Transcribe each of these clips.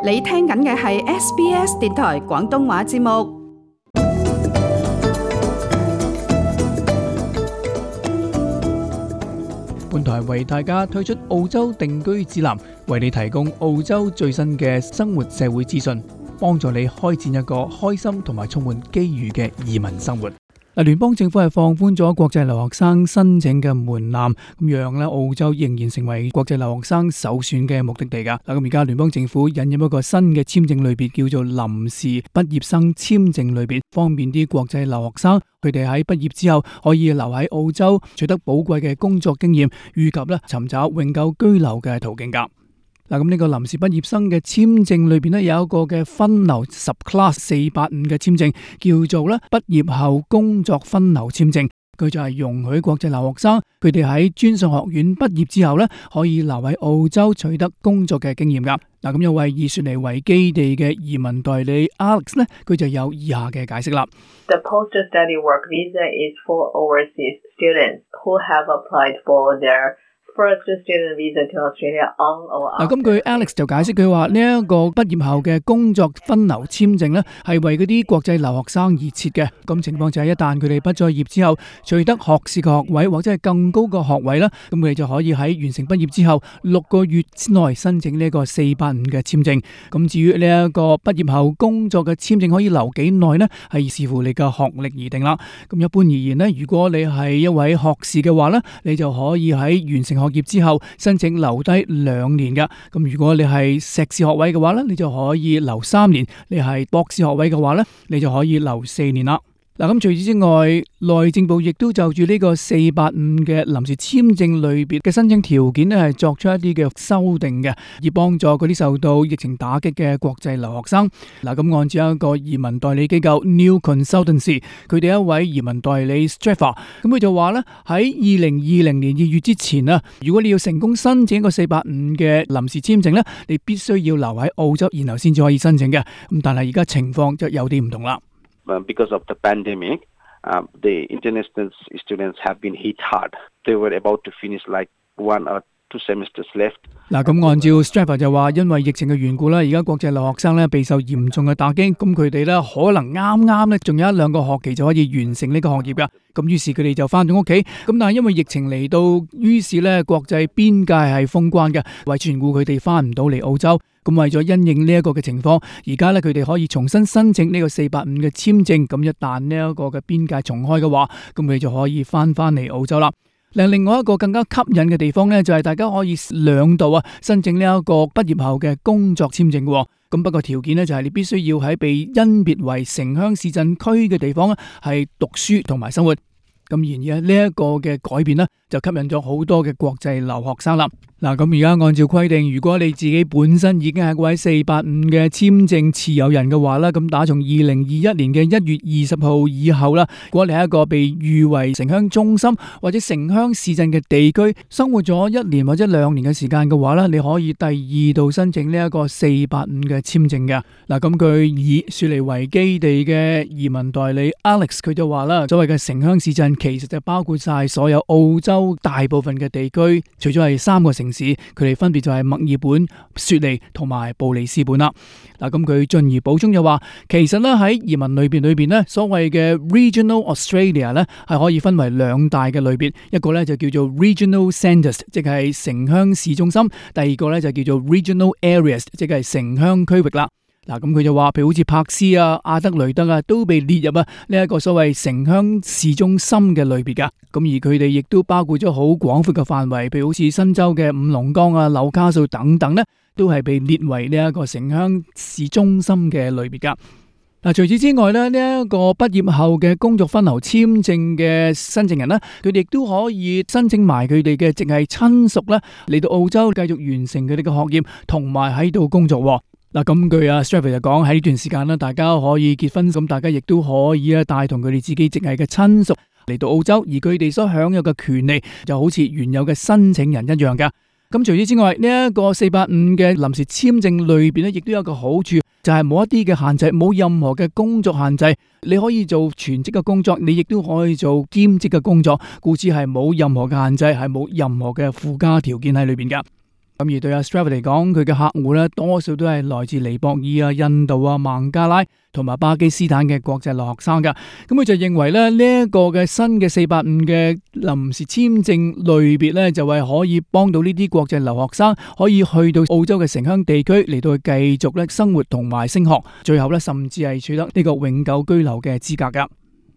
你聽緊嘅係 SBS 電台廣東話節目。本台為大家推出澳洲定居指南，為你提供澳洲最新嘅生活社會資訊，幫助你開展一個開心同埋充滿機遇嘅移民生活。聯邦政府係放寬咗國際留學生申請嘅門檻，咁讓咧澳洲仍然成為國際留學生首選嘅目的地噶。咁而家聯邦政府引入一個新嘅簽證類別，叫做臨時畢業生簽證類別，方便啲國際留學生佢哋喺畢業之後可以留喺澳洲，取得寶貴嘅工作經驗，以及咧尋找永久居留嘅途徑噶。咁呢個臨時畢業生嘅簽證裏邊咧有一個嘅分流 subclass 485嘅簽證，叫做咧畢業後工作分流簽證。佢就係容許國際留學生佢哋喺專上學院畢業之後咧，可以留喺澳洲取得工作嘅經驗噶。咁有位以雪梨為基地嘅移民代理 Alex 咧，佢就有以下嘅解釋啦。The post-study work visa is for overseas students who have applied for their first student visa to Australia on or after。咁據 Alex 就解釋佢話呢一個畢業後嘅工作分流簽證呢係為嗰啲國際留學生而設嘅。咁情況就係一旦佢哋畢咗業之後取得學士嘅學位或者係更高嘅學位啦，咁佢哋就可以喺完成畢業之後6個月之內申請呢一個485嘅簽證。咁至於呢一個畢業後工作嘅簽證可以留幾耐呢？係視乎你嘅學歷而定啦。咁一般而言呢，如果你係一位學士嘅話呢，你就可以喺完成學業之後申請留低2年噶。咁如果你係碩士學位嘅話咧，你就可以留3年；你係博士學位嘅話咧，你就可以留4年啦。咁除此之外，內政部亦都就住呢個485嘅臨時簽證類別嘅申請條件咧，係作出一啲嘅修訂嘅，以幫助嗰啲受到疫情打擊嘅國際留學生。咁按照一個移民代理機構 New Consultancy， 佢哋一位移民代理 Straffer， 咁佢就話咧喺2020年2月之前啊，如果你要成功申請一個485嘅臨時簽證咧，你必須要留喺澳洲，然後先至可以申請嘅。咁但係而家情況就有啲唔同啦。Because of the pandemic, the international students have been hit hard. They were about to finish like 1 or 2 semesters left. 咁按照 Strapper 就話，因為疫情嘅緣故啦，而家國際留學生咧備受嚴重嘅打擊，咁佢哋咧可能啱咧仲有1-2個學期就可以完成呢個學業噶。咁於是佢哋就翻到屋企，咁但係因為疫情嚟到，於是咧國際邊界係封關嘅，為全故佢哋翻唔到嚟澳洲。咁為咗因應呢一個嘅情況，而家咧佢哋可以重新申請呢個485嘅簽證。咁一旦呢一個嘅邊界重開嘅話，咁佢就可以翻嚟澳洲啦。另外一個更加吸引嘅地方咧，就係大家可以2度申請呢一個畢業後嘅工作簽證嘅。咁不過條件咧就係你必須要喺被甄別為城鄉市鎮區嘅地方係讀書同埋生活。咁然而呢一個嘅改變呢，就吸引咗好多嘅國際留學生啦。咁而家按照規定，如果你自己本身已經係位485嘅簽證持有人嘅話啦，咁打從2021年嘅1月20號以後啦，如果你係一個被譽為城鄉中心或者城鄉市鎮嘅地區，生活咗1年或者2年嘅時間嘅話咧，你可以第2度申請呢一個485嘅簽證嘅。咁據以雪梨為基地嘅移民代理 Alex 佢就話啦，所謂嘅城鄉市鎮其實就包括晒所有澳洲大部分嘅地區，除咗係3個城市，佢哋分別就係墨爾本、雪梨同埋布里斯本啦。咁佢進而補充就話，其實咧喺移民類別咧，所謂嘅 Regional Australia 咧係可以分為2大嘅類別，一個咧就叫做 Regional Centres， 即係城鄉市中心；第二個咧就叫做 Regional Areas， 即係城鄉區域啦。咁佢就話，譬如好似柏斯啊、阿德雷德啊，都被列入呢一個所謂城鄉市中心嘅類別噶。咁而佢哋亦都包括咗好廣闊嘅範圍，譬如好似新州嘅五龍崗啊、紐卡素等等呢，都係被列為呢一個城鄉市中心嘅類別噶。除此之外呢，呢一個畢業後嘅工作分流簽證嘅申請人呢，佢哋亦都可以申請埋佢哋嘅直系親屬呢嚟到澳洲繼續完成佢哋嘅學業，同埋喺度工作。咁據Strapper就講，喺呢段時間大家可以結婚，咁大家亦都可以帶同佢哋自己直系嘅親屬嚟到澳洲，而佢哋所享有嘅權利就好似原有嘅申請人一樣噶。咁除此之外，呢一個485嘅臨時簽證類別亦都有一個好處，就係冇一啲嘅限制，冇任何嘅工作限制，你可以做全職嘅工作，你亦都可以做兼職嘅工作，故此係冇任何嘅限制，係冇任何嘅附加條件喺裏邊噶。咁而對阿 Straver 嚟講，佢嘅客戶咧多數都係來自尼泊爾啊、印度啊、孟加拉同埋巴基斯坦嘅國際留學生噶。咁佢就認為咧呢一個嘅新嘅485嘅臨時簽證類別咧，就係可以幫到呢啲國際留學生可以去到澳洲嘅城鄉地區嚟到去繼續咧生活同埋升學，最後咧甚至係取得呢個永久居留嘅資格噶。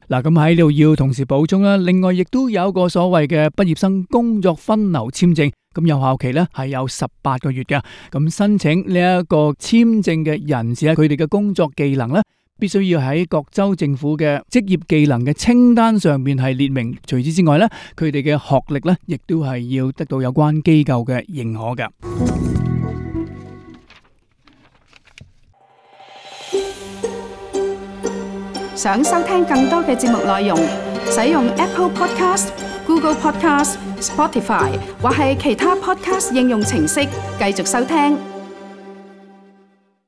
嗱，咁喺度要同時補充啦，另外亦都有一個所謂嘅畢業生工作分流簽證，咁有效期咧係有18個月嘅。咁申請呢一個簽證嘅人士咧，佢哋嘅工作技能咧，必須要喺各州政府嘅職業技能嘅清單上面係列明。除此之外咧，佢哋嘅學歷咧，亦都係要得到有關機構嘅認可嘅。想收聽更多嘅節目內容，使用 Apple Podcast、Google Podcast、Spotify 或係其他 Podcast 應用程式繼續收聽。